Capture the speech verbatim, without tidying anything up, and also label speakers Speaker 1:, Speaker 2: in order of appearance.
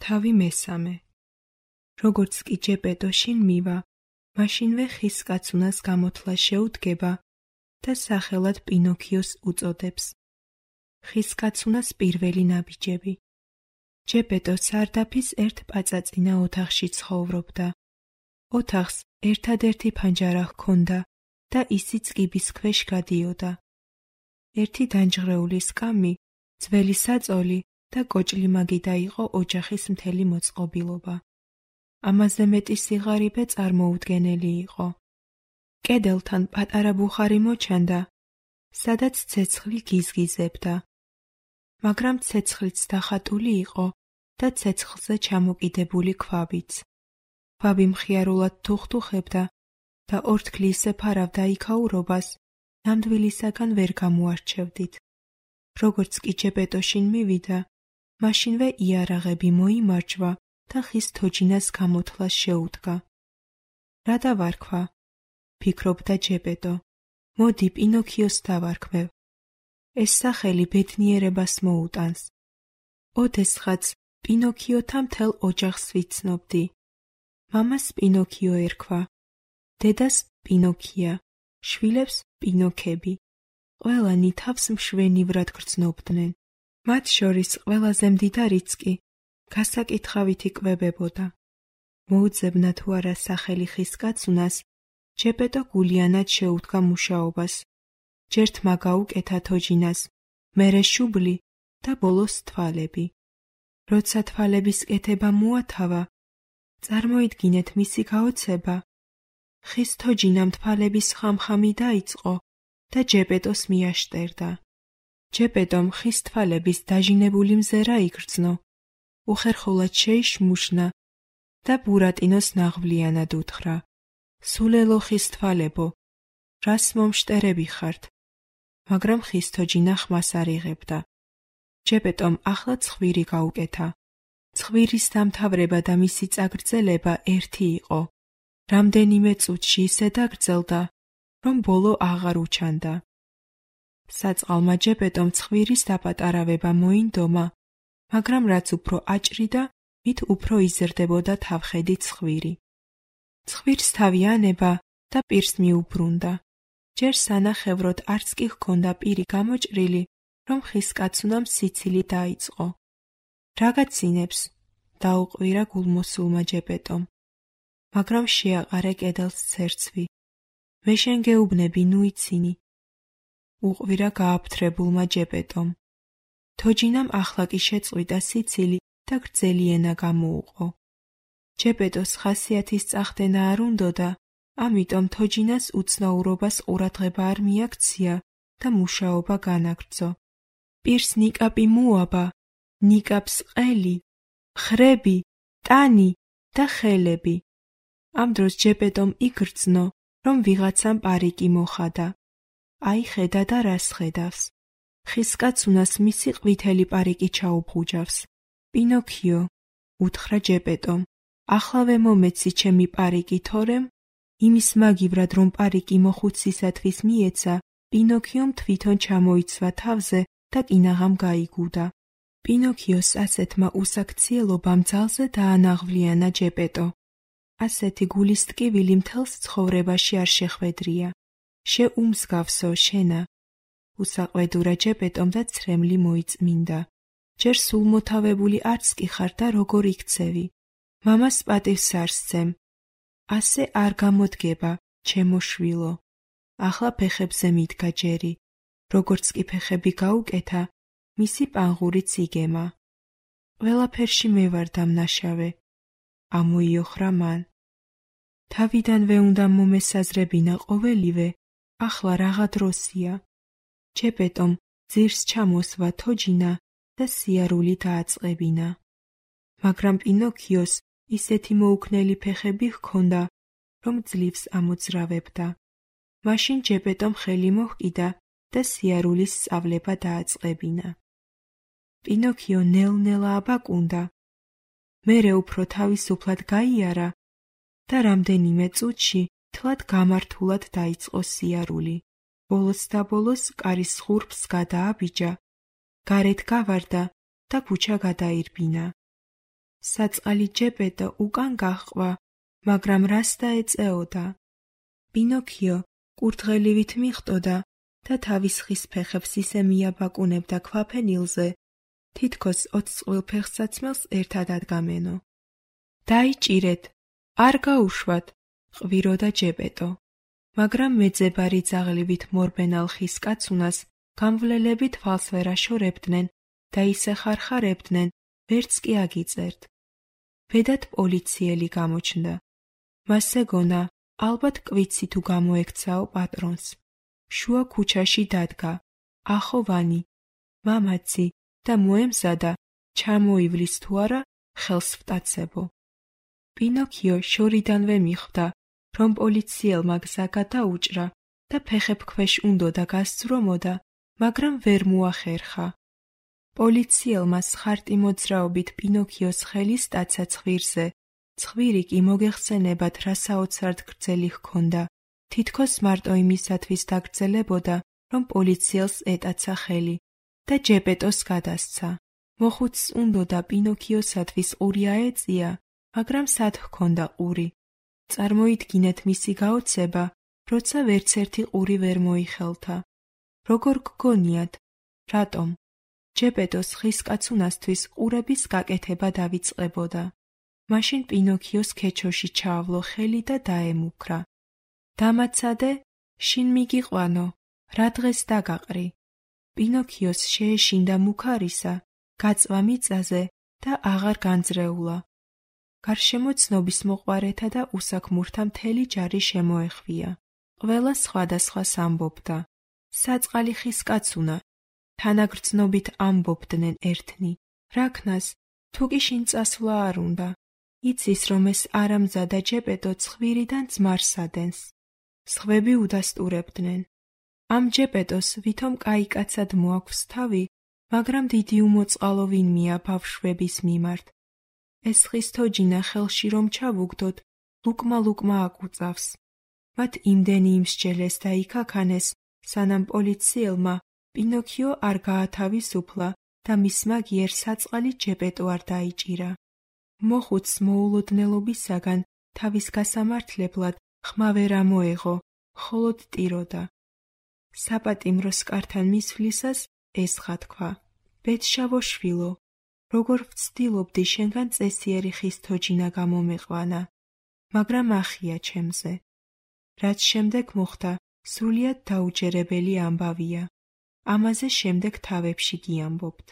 Speaker 1: თავი მესამე. როგორც კი ჯეპეტო შინ მივა, მაშინვე ხის კაცუნას გამოთლა შეუდგება და სახელად პინოქიოს უწოდებს. ხის კაცუნას პირველი ნაბიჯები. ჯეპეტო სარდაფის ერთ პაწაწინა ოთახში ცხოვრობდა. ოთახს ერთადერთი ფანჯარა ჰქონდა და ისიც კიბის ქვეშ გადიოდა. ერთი დანჯღრეული სკამი, ძველი საწოლი და კოჭლიმაგიდა იყო ოჯახის მთელი მოწყობილობა. ამაზე მეტი სიღარიბე წარმოუდგენელი იყო. კედელთან პატარა ბუხარი მოჩანდა, სადაც ცეცხლი გიზგიზებდა. მაგრამ ცეცხლიც დახატული იყო და ცეცხლზე ჩამოკიდებული ქვაბიც. ქვაბი მხიარულად თუხთუხებდა და ორთქლი ისე ფარავდა იქაურობას, ნამდვილისაგან ვერ გამოარჩევდით. როგორც კი ჯეპეტო შინ მივიდა, მაშინვე იარაღები მოიმარჯვა და ხის თოჯინას გამოთლას შეუდგა. რა დავარქვა? ფიქრობდა ჯეპეტო. მოდი პინოქიოს დავარქმევ. ეს სახელი ბედნიერებას მოუტანს. ოდესღაც პინოქიოთა მთელ ოჯახს ვიცნობდი. მამას პინოქიო ერქვა, დედას პინოქია, შვილებს პინოქები. ყველანი თავს მშვენივრად გრძნობდნენ. მათ შორის ყველაზე მდიდარიც კი გასაკითხავით იკვებებოდა. მოუძებნა თუ არა სახელი ხის კაცუნას, ჯეპეტო გულიანად შეუდგა მუშაობას. ჯერ თმა გაუკეთა თოჯინას, მერე შუბლი და ბოლოს თვალები. როცა თვალების კეთება მოათავა, წარმოიდგინეთ მისი გაოცება. ხის თოჯინამ თვალების ხამხამი დაიწყო და ჯეპეტოს მიაშტერდა. ჯეპეტომ ხის თვალების დაჟინებული მზერა იგრძნო, უხერხულად შეიშმუშნა და ბურატინოს ნაღვლიანად უთხრა: სულელო ხის თვალებო, რას მომშტერები ხართ? მაგრამ ხის თოჯინა ხმას არ იღებდა. ჯეპეტომ ახლა ცხვირი გაუკეთა. ცხვირის დამთავრება და მისი წაგრძელება ერთი იყო. რამდენიმე წუთში ისე დაგრძელდა, რომ ბოლო აღარ უჩანდა. საწყალმა ჯეპეტომ ცხვირის დაპატარავება მოინდომა, მაგრამ რაც უფრო აჭრიდა, მით უფრო იზრდებოდა თავხედი ცხვირი. ცხვირს თავი ანება და პირს მიუბრუნდა. ჯერ სანახევროდ არც კი ჰქონდა პირი გამოჭრილი, რომ ხის კაცუნამ სიცილი დაიწყო. რა გაცინებს? დაუყვირა გულმოსულმა ჯეპეტომ. მაგრამ შეაყარე კედელს ცერცვი. მე შენ გეუბნები, ნუ იცინი. უყვირა გააფთრებულმა ჯეპეტომ. თოჯინამ ახლა კი შეწყვიტა სიცილი და გრძელი ენა გამოუყო. ჯეპეტოს ხასიათის წახდენა არ უნდოდა, ამიტომ თოჯინას უცნაურობას ყურადღება არ მიაქცია და მუშაობა განაგრძო. პირს ნიკაპი მოაბა, ნიკაპს ყელი, ხრები, ტანი და ხელები. ამ დროს ჯეპეტომ იგრძნო, რომ ვიღაცამ პარიკი მოხადა. აი ხედა და რას ხედავს. ხის კაცუნას მისი ყვითელი პარიკი ჩაუბღუჯავს. პინოქიო, უთხრა ჯეპეტომ, ახლავე მომეცი ჩემი პარიკი, თორემ იმის მაგივრად რომ პარიკი მოხუცისათვის მიეცა, პინოქიომ თვითონ ჩამოიცვა თავზე და კინაღამ გაიგუდა. პინოქიოს ასეთმა უსაქციელობამ ძალზე დაანაღვლიანა ჯეპეტო. ასეთი გულის ტკივილი მთელს ცხოვრებაში არ შეხვედრია. შეუმსგავსო შენა. უსაყვედურა ჯეპეტომ და ცრემლი მოიწმინდა. ჯერ სულ მოთავებული არც კი ხარ და როგორ იქცევი. მამას პატივს არ სცემ. ასე არ გამოდგება, ჩემო შვილო. ახლა ფეხებზე მიდგა ჯერი. როგორც კი ფეხები გაუკეთა, მისი პანღურიც იგემა. ყველაფერში მე ვარ დამნაშავე. ამოიოხრა მან. თავიდანვე უნდა მომესაზრებინა ყოველივე, ახლა რაღა დროსია. ჯეპეტომ ძირს ჩამოსვა თოჯინა და სიარული დააწყებინა. მაგრამ პინოქიოს ისეთი მოუქნელი ფეხები ჰქონდა, რომ ძლივს ამოძრავებდა. მაშინ ჯეპეტომ ხელი მოჰკიდა და სიარულის სწავლება დააწყებინა. პინოქიო ნელ-ნელა აბაკუნდა. მერე უფრო თავისუფლად გაიარა და რამდენიმე წუთში თლად გამართულად დაიწყო სიარული. ბოლოს და ბოლოს კარის ხურფს გადააბიჯა, გარეთ გავარდა და ქუჩა გადაირბინა. საწყალი ჯეპეტო უკან გაჰყვა, მაგრამ რას დაეწეოდა? პინოქიო კურდღელივით მიხვდოდა და თავის ხის ფეხებს ისე მიაბაკუნებდა ქვაფენილზე, თითქოს ოცს წყვილფეხსაცმელს ერთად ადგამენო. დაიჭირეთ, არ გაუშვათ, ყვიროდა ჯეპეტო, მაგრამ მეძებარი ძაღლივით მორბენალ ხის კაცუნას გამვლელებით თვალს ვერ აშორებდნენ და ისე ხარხარებდნენ, ვერც კი აგიწერთ. ბედად პოლიციელი გამოჩნდა. მას ეგონა, ალბათ კვიცი თუ გამოექცაო პატრონს. შუა ქუჩაში დადგა, ახოვანი, მამაცი და მოემზადა, ჩამოივლის თუ არა ხელს ვტაცებო. პინოქიო შორიდანვე მიხვდა, რომ პოლიციელმა გზა გადაუჭრა და ფეხებქვეშ უნდოდა გასძრომოდა, მაგრამ ვერ მოახერხა. პოლიციელმა სხარტი მოძრაობით პინოქიოს ხელი სტაცა ცხვირზე, ცხვირი კი მოგეხსენებათ რა საოცრად გრძელი ჰქონდა, თითქოს მარტო იმისათვის დაგრძელებოდა, რომ პოლიციელს ეტაცა ხელი და ჯეპეტოს გადასცა. მოხუცს უნდოდა პინოქიოსათვის ყური აეწია, მაგრამ სად ჰქონდა ყური? წარმოიდგინეთ მისი გაოცება, როცა ვერცერთი ყური ვერ მოიხელთა. როგორ გგონიათ, რატომ? ჯეპეტოს ხის კაცუნასთვის ყურების გაკეთება დავიწყებოდა. მაშინ პინოქიოს ქეჩოში ჩაავლო ხელი და დაემუქრა. დამაცადე, შინ მიგიყვანო, რა დღეს დაგაყრი. პინოქიოს შეეშინდა მუქარისა, გაწვა მიწაზე და აღარ განძრეულა. გარშემო ცნობის მოყვარეთა და უსაქმურთა მთელი ჯარი შემოეხვია. ყველა სხვადასხვას ამბობდა. საწყალი ხის კაცუნა, თანაგრძნობით ამბობდნენ ერთნი. რაქნას, თუ კი შინ წასვლა არ უნდა. იცის, რომ ეს არამზადა ჯეპეტო ცხვირიდან ძმარს ადენს. სხვები უდასტურებდნენ. ამ ჯეპეტოს ვითომ კაიკაცად მოაქვს თავი, მაგრამ დიდი უმოწყალო ვინმეა ბავშვების მიმართ. ეს ხის თოჯინა ხელში რომ ჩავუგდოთ, ლუკმა-ლუკმა აკუწავს. მათ იმდენი იმსჯელეს და იქაქანეს, სანამ პოლიციელმა პინოქიო არ გაათავისუფლა და მისმა გიერ საწყალი ჯეპეტო არ დაიჭირა. მოხუცს მოულოდნელობისაგან თავის გასამართლებლად ხმა ვერ ამოეღო, მხოლოდ ტიროდა. საპატიმროს კართან მისვლისას ესხა თქვა: ბედშავო შვილო, როგორ ვცდილობდი შენგან წესიერი ხის თოჯინა გამომეყვანა, მაგრამ ახია ჩემზე. რაც შემდეგ მოხდა, სრულიად დაუჯერებელი ამბავია. ამაზე შემდეგ თავებში გიამბობთ.